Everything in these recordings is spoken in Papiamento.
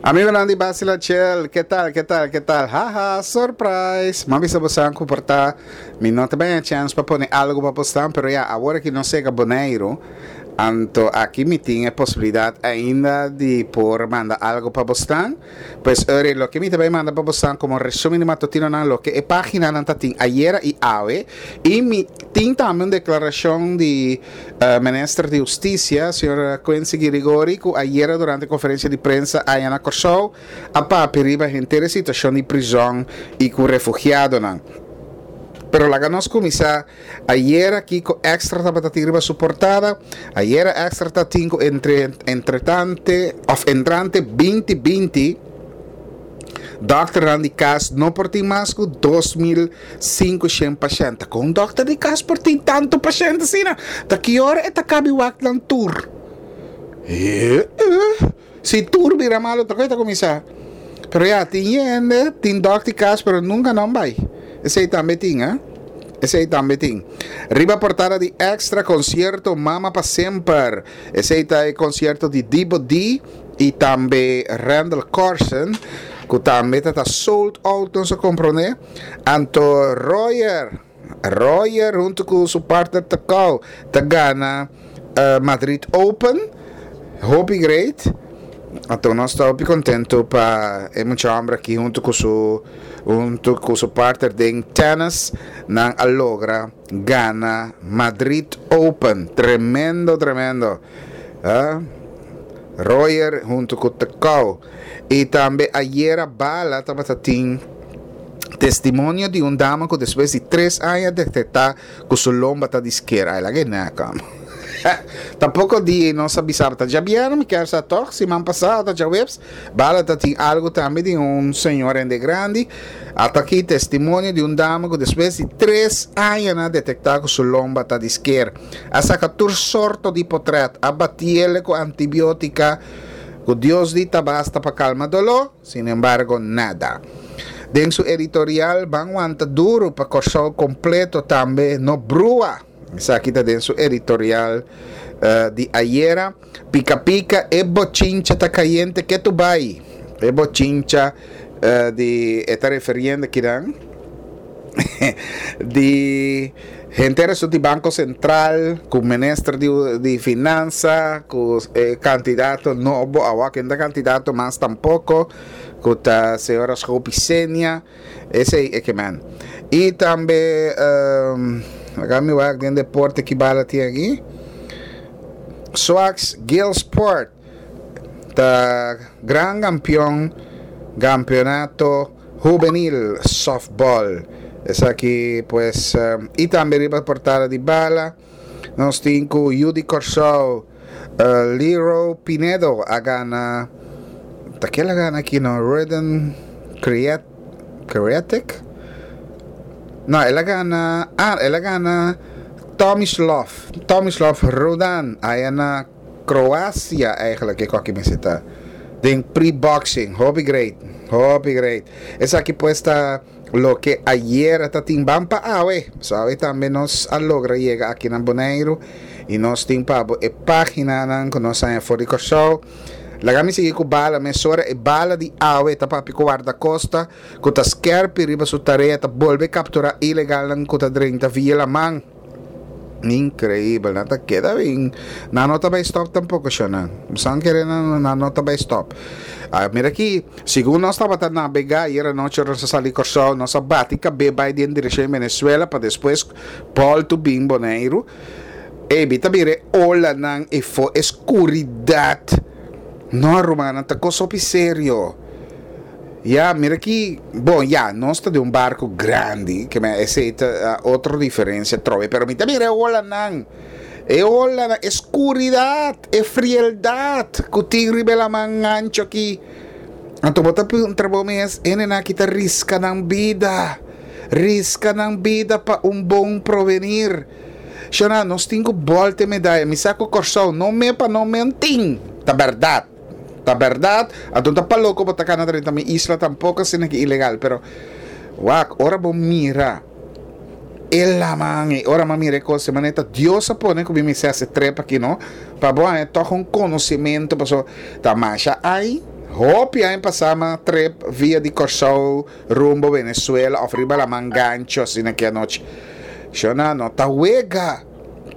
Amigonan di Basila Chill, ke tal, ke tal, ke tal? Haha, surprise! M'a bisa bosan ku por ta mi no ta baña chèns pa pone algu pa bosnan, pero ya, awor aki nos yega Boneiru, anto aki mi tin e posibilidat ainda di por manda algu pa bosnan. Pues ori, loke mi ta bai manda pa bosnan komo resumen di matutinonan, loke e paginanan ta tin ayera i awe, i mi tin tambe un deklarashon di Minister di Hustisia, señor Quincy Girigori, ku ayera durante konferensia di prensa aya na Kòrsou a papia riba henter e situashon di prizòn i ku refugiadonan. Pero laga nos kuminsá ayera kiko Extra tabata tin riba su portada. Ayera Extra ta tin ku entre entretante òf entrante binti binti dòkternan di kas no por tin mas ku 2500 pashènt. Ta kon un dòkter di kas por tin tantu pashènt asina? Ta ki ora e ta kabi wak nan tur? He Si tur bira malu ta kon e ta kuminsá? Pero ya, tin hende tin dòkter di kas pero nunka nan bai. Esei tambe tin, ha. Esei tambe tin. Riba portada di Extra konsierto Mama pa Semper. Esei ta e konsierto di Dibo D i tambe Randal Corsen ku tambe ta ta sold out nos a komprondé. Anto Royer, Royer huntu ku su partner Tecau ta gana Madrid Open. Hopi great. Anto nos ta hopi kontentu pa e mucha hòmber aki huntu ku su huntu ku su partner den tennis nan a logra gana Madrid Open. Tremendo, tremendo. Ah, Royer huntu ku Tecau. I tambe ayera Bala tabata tin testimonio di un dama ku despues di tres aña detektá ku su lomba ta di sker. Ai laga e nèk amo. Tampoko di nos a bisa ta djabièrnè mi kier sa tòg siman pasá ta djaweps Bala ta tin algu tambe di un señor hende grandi. Ata aki testimonio di un dama ku despues di tres aña nan a detektá ku su lomba ta di sker. A saka tur sorto di potrèt, a batiele ku antibiotika ku Dios di ta basta pa kalma doló, sinembargo nada. Den su editorial Ban wanta duru pa Kòrsou kompleto tambe no brua. Esaki ta den su editorial di ayera. Pika pika e bochincha ta kayente ketu bai. E bochincha di e ta referiendo kinan di henter esun di Banco Central ku minister di di finansa ku e kandidato nobo awa ken ta kandidato mas tampoko ku ta señora Schoopy Senia esei e kemen. I tambe laga mi wak den deporte ki bala tin aki. Swax Gilsport ta gran kampion Campeonato Hubenil Softball. Esaki pues y tambe riba portada di bala nos tin cu yu di Corsou Leroy Pinedo a gana ta kel a gana aki no Reden Creat Creatic no el a gana ah el a gana Tomislav Tomislav Rudan aya na Croacia eigenlijk e koki mester ta den pre boxing hopi great hopi great esaki pues ta loke ayera ta tin ban pa awe so awe tambe nos a logra yega aki na Boneiru y nos tin pa bo e paginanan ku nos haña for di Kòrsou laga mi sigui ku bala mesora e bala di awe ta papia ku wardakosta ku ta skerpi riba su tarea ta bolbe kaptura ilegalnan ku ta drenta via laman. Increíbel, nan ta keda bin. Nan no ta bay stop tampoco, shonan. San kere nan, nan no ta bay stop. Ah, mira aquí, segun nos tabata navega ayer anochi ora nos a sali Kòrsou, nos a bati kabé bay den direccion di Venezuela pa despues bolto bin Boneiru. Ey, mi ta mira e olanan efo, e skuridat. No, rumannan, ta kos hopi serio. Ya, mira aki, bon, ya, nos ta den un barco grandi, ke men esei ta otro diferencia atrobe, pero mi ta mira e olanan, e olanan, e scuridad, e frieldad cu tin riba e laman ancho aki. Anto bo ta puntra bo mes, hendenan aki ta risca nan bida, risca nan bida pa un bon provenir. Shona, nos tin cu bolta e medaya, mi sa cu Corsou no me pa no men tin, ta berdad. Ta berdad, anto ta pa loco bo ta cana drenta mi isla tampoco asina ki ilegal, pero wak, ora bo mira e laman e ora mi a mira e cos e manera ta Dios a pone cu mi mester haci trip aki no, pa bo haña toch un conocimento paso ta masha ay. Hopi aña pasá m'a trip via di Kòrsou rumbo Venezuela òf riba laman gancho asina ki anochi. Shona no ta wega.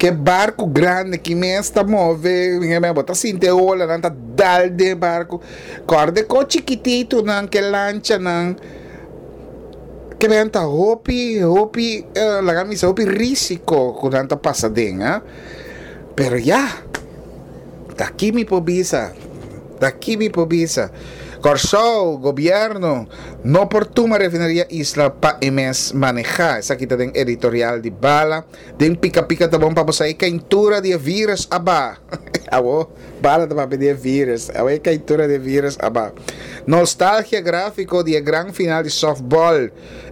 Ke barku grandi ki mes ta move, bo ta sinti e olanan ta dal den e barku. Kòrda e kos chikititunan, ke lanchanan, ke men ta hopi, hopi, laga mi bisa hopi risiko ku nan ta pasa den, ah. Pero ya, ta ki mi por bisa. Ta ki mi por bisa? Kòrsou, gobièrnu no por tuma refineria Isla pa e mes manehá. Esaki ta den editorial di Bala. Den Pika Pika ta bon pa bo sa e kaintura di e vírus a ba. Awo Bala ta papia di e vírus. Awo e kaintura di e vírus a ba. Nostalgia gráfiko di e gran final di sòftbòl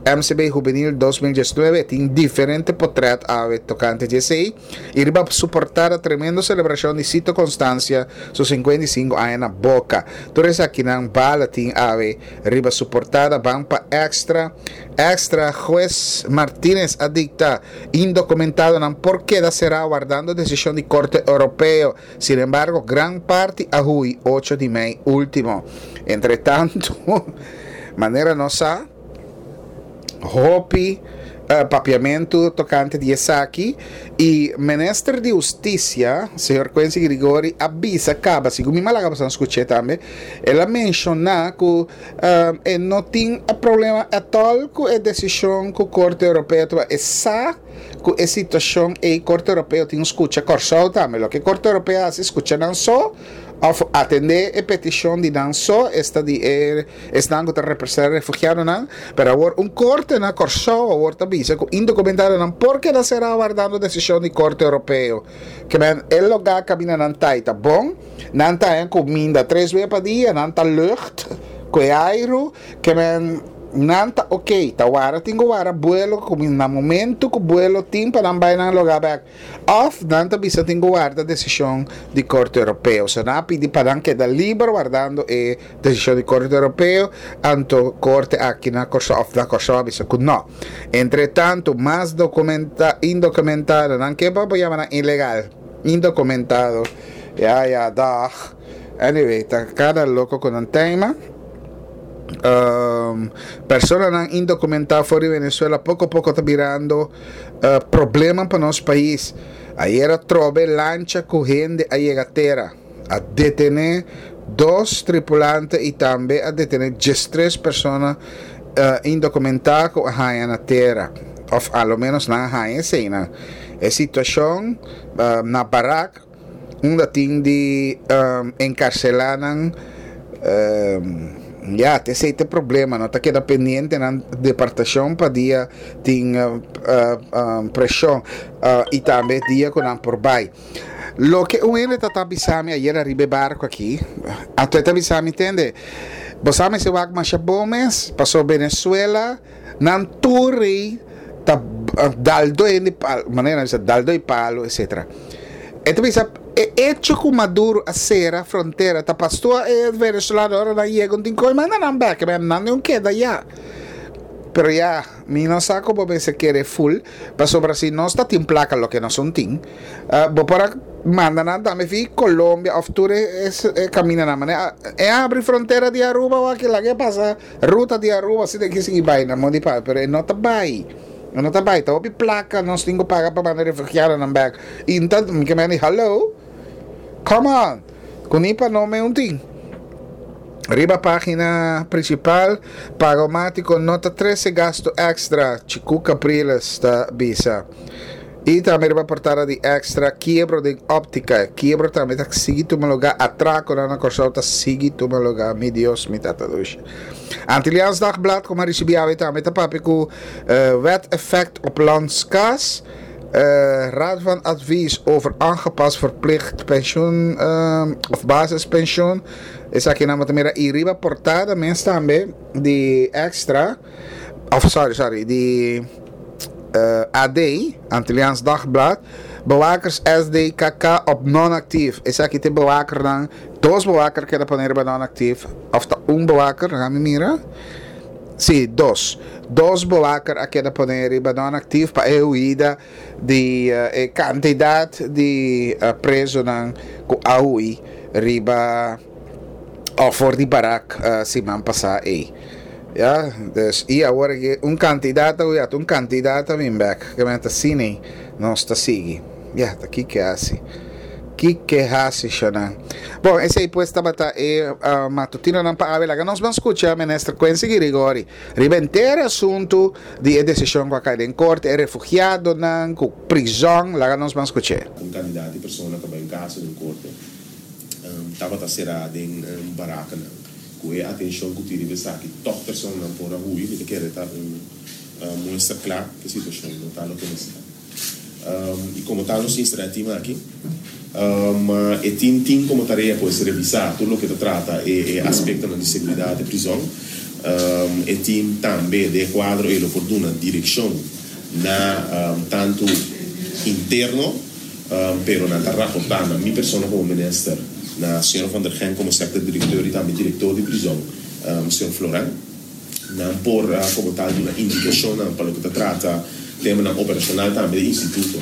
MCB Hubenil 2019. Tin diferente potrèt awe tokante di esei. I riba su portada tremendo celebracion di Sito Constancia su 55 aña na Boca. Tur esakinan bala tin awe riba su portada ban pa Extra. Extra Juez Martinez a dicta indocumentadonan por keda cera wardando decision di Corte Europeo. Sin embargo gran parti a hui ocho di mei ultimo. Entre tanto manera nos sa. Hopi papiamentu tokante di esaki i Minister di Hustisia, señor Quincy Grigori a bisa kaba, segun mi malaga pasobra skuch'é tambe, el a menshoná ku e no tin problema atòl ku e desishon ku Korte Europeo tuma. E sa ku e situashon ei Korte Europeo tin skucha Kòrsou tambe. Loke Korte Europeo hasi skucha nan so òf atendé e petishon di nan so, esta di e Esnan ku ta representá refugiadonan, pero awor un korte na Kòrsou awor ta bisa ku indokumentadonan por keda será wardando desishon di Korte Europeo. Ke men e lugá kaminda nan ta i ta bon, nan ta haña kuminda tres bia pa dia, nan ta lucht ku e airu, ke men nan ta oke, ta wara tin ku wara buelo ku na momento ku buelo tin pa nan bai nan lugá bèk. Òf nan ta bisa tin ku warda desishon di Korte Europeo. So nan a pidi pa nan keda liber wardando e desishon di Korte Europeo, anto Korte aki na Kòrsou òf na Kòrsou a bisa ku nò. Entre tantu mas dokumenta indokumentado nan ke bo yama nan ilegal, indokumentado, ya ya dag. Anyway ta kada loko ku nan tema. Personanan indokumentá for di Venezuela poko poko ta birando Problema pa nos pais. Ayer atrobe lancha cu hende a yega tera. A detene dos tripulante y tambe a detene diestres persona indocumenta cu a haya na tera. Of a lo menos nan a haya eseynan. E situacion na barak unda tin di encarcela nan ya te esey ta e problema no ta keda pendiente nan departacion pa dia tin presion y tambe dia cu nan por bay. Loke un hende ta ta bisami ayer ariba e barco aki anto e ta bisami tende bo sa mester wak masha bon mes pasobra Venezuela nan tur rey ta dal do hende palo, manera nan bisa dal do e palo etcetera. E ta bisa e hecho ku Maduro a sera frontera ta pastor e venezolano ora nan yega un tin koe manda nan bek, nan no keda ya. Pero ya mi no sa ku bo mester kere ful pasobra si nos ta tin plaka loke nos un tin bo por a manda nan tambe fi Colombia of tur e kamindanan manera e abri frontera di Aruba wak laga e pasa. Ruta di Aruba si den ki sigui bai na mondi pa, pero e no ta bai. E no ta bai. Ta hopi plaka nos tin ku paga pa manda refugiadonan bek. I ta mi ke mende hallo? Come on! Ku ni pa no me un tin. Riba pagina principal, Pagomatico no ta trece gasto extra, Chiku Capriles ta bisa. I tambe riba portada di Extra, Kiebro den optica. Kiebro tambe ta sigui tuma lugar. Atraconan na Corsou ta sigui tuma lugar. Mi Dios, mi Tata Dushi. Antilliaans Dagblad, como a ricibi awe tambe ta papia cu Wet effect op landskas. Raad van Advies over aangepast verplicht pensioen of basispensioen. Esakinan bo ta mira. I riba portada mes tambe di Extra. Of sorry, sorry, di AD, Antilliaans Dagblad, bewakers SDKK op non-actief. Esaki ta e bewakernan, dos bewaker keda pone riba non-actief, of ta un bewaker, laga mi mira. Si, dos. Dos bewaker a keda pone riba non-actief pa e huida di e kantidat di prezonan ku a hui riba. Of for di barak siman pasá ei. Ya, dus i awor aki un kantidat ta hui, un kantidat ta bin bèk. Ke men ta asina nos ta sigui. Ya, ta kiko hasi. Kiko hasi, shonnan. Bon, esei pues tabata e matutinonan pa awe. Laga nos ban skucha Minister Quincy Girigorie riba henter e asuntu di e desishon ku a kai den korte, e refugiadonan ku prizòn. Laga nos ban skuch'é. Un kantidat di persona ta bai un kaso den korte. Tabata será den barakanan. Ku e atenshon ku tin riba esaki, tòg personanan por a hui. Mi ta kere ta un muestra kla ku e situashon no ta loke mester ta. I komo tal nos instalá e tim aki. E tim tin komo tarea pues revisá tur loke ta trata e aspektonan di seguridat di prizòn. E tim tambe den e kuadro ei lo por duna direkshon na tantu interno, Pero nan ta raportá na mi persona komo minister, na señor Van der Gen komo sector directeur i tambe director di prizòn, señor Floran. Nan por komo tal duna indikashonnan pa loke ta trata temanan operashonal tambe di instituto.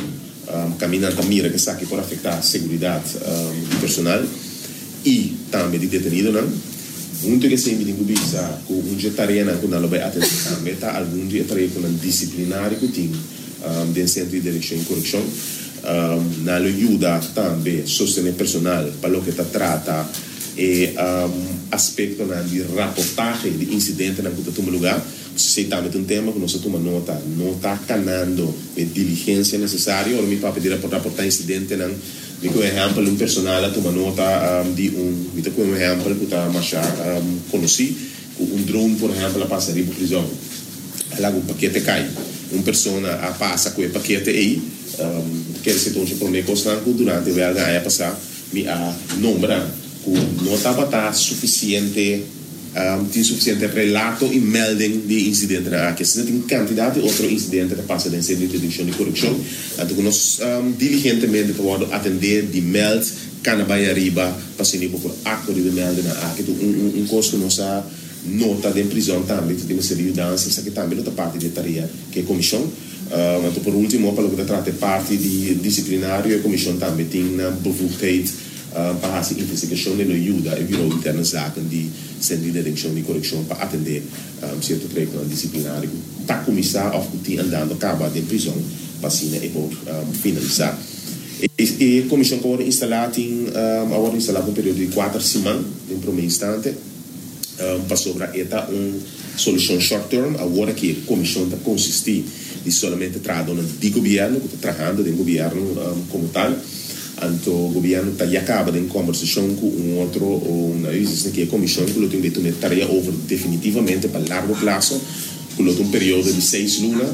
Kaminda nan ta mira ku esaki por afektá seguridat di personal i tambe di detenidonan. Huntu ku esei mi tin ku bisa ku un dje tareanan ku nan lo bai atendé tambe ta algun di e trayektonan disiplinario ku tin. Den Sentro di Direkshon i Korekshon nan lo yuda tambe sostené personal pa loke ta trata e aspektonan di raportahe di insidentenan ku ta tuma lugá. Esei tambe ta un tema ku nos a tuma nota. No ta kanando e diligensia nesesario. Ora mi papia di raportá insidentenan, mi ku un ehèmpel un personal a tuma nota di un, mi ta ku un ehèmpel ku ta masha konosí, Ku un drone por ehèmpel a pasa riba prizòn, a laga un pakete kai. Un persona a pasa ku e pakete ei. Kere si ta un dje promé kosnan ku durante wèlga aña pasá mi a nombra ku no tabata sufisiente, tin sufisiente relato i melding di e insidentenan aki. Asina tin kantidat di otro insidente ta pasa den sentro di detenshon di korekshon, anto ku nos diligentemente ta wòrdu atendé di mèld. Kana bai ariba pa asina bo por aktua riba e meldenan aki. Ta un un kos ku nos a nota den prizòn tambe, ta tin mester di yudansa, esaki tambe lo ta parti di e tarea ku e komishon. Anto por ultimo pa loke ta trata e parti di disiplinario, e komishon tambe tin nan bevoegdheid pa hasi investigashon i lo yuda e Bureau Interne Zaken di Sentro di Detenshon di Korekshon pa atendé sierto trayektonan disiplinario ku ta kuminsá òf ku tin andando kaba den prizòn pa asina e por finalisá. E komishon ku a wòrdu instalá tin a wòrdu instalá pa un periodo di kuater siman den promé instante, pasobra e ta un solushon short term. Awor aki e komishon ta konsistí di solamente trahadónan di gobièrnu ku ta trahando den gobièrnu komo tal. Anto gobièrnu ta ya kaba den kòmbersashon ku un otro o un ku e komishon ku lo tin ku tuma e tarea over definitivamente pa largo plaso, ku lo ta un periodo di seis luna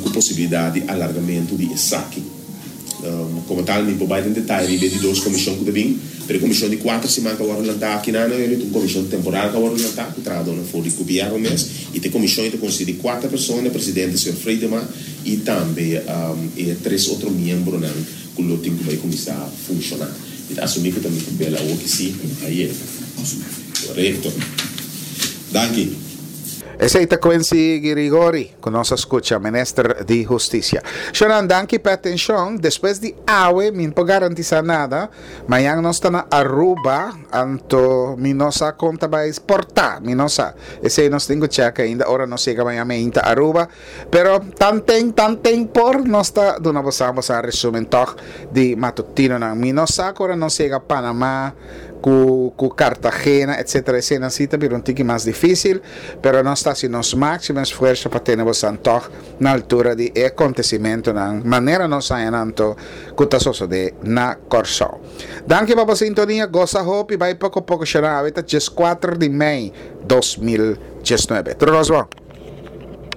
ku posibilidat di alargamentu di esaki. Komo tal mi por bai den detaye riba e di dos komishon ku ta bin, pero e komishon di kuater siman ku a wòrdu lantá aki na Naomi ta un komishon temporal ku a wòrdu lantá ku trahadónan for di gobièrnu mes i ta e komishon i ta konsistí di kuater persona, e presidente señor Friedema i tambe e tres otro miembronan ku lo tin ku bai kuminsá funshoná. Mi ta asumí ku ta mi papel awor ki si aye. Korekto. Danki. Esei ta Quincy Girigori ku nos a skucha, Minister di Hustisia. Shonan, danki pa e atenshon. Despues di awe mi no por garantisá nada. Mañan nos ta na Aruba, anto mi no sa kon ta bai portá, mi no sa. Esei nos tin ku chèk ainda ora nos yega mañan meinta Aruba. Pero tanten, tanten por nos ta duna boso ambos a resumen tòg di matutinonan. Mi no sa ku ora nos yega Panamá, ku ku Cartagena etcetera esena si ta bira un tiki mas dificil pero nos ta haci nos maximo esfuerzo pa tene bosan tog na altura di e acontecimentonan manera nos haña nan anto cu ta sosode na Corsou. Danki pa bo sintonia goza hopi bay poco poco shona awe ta 14 di mei 2019 tur nos bon.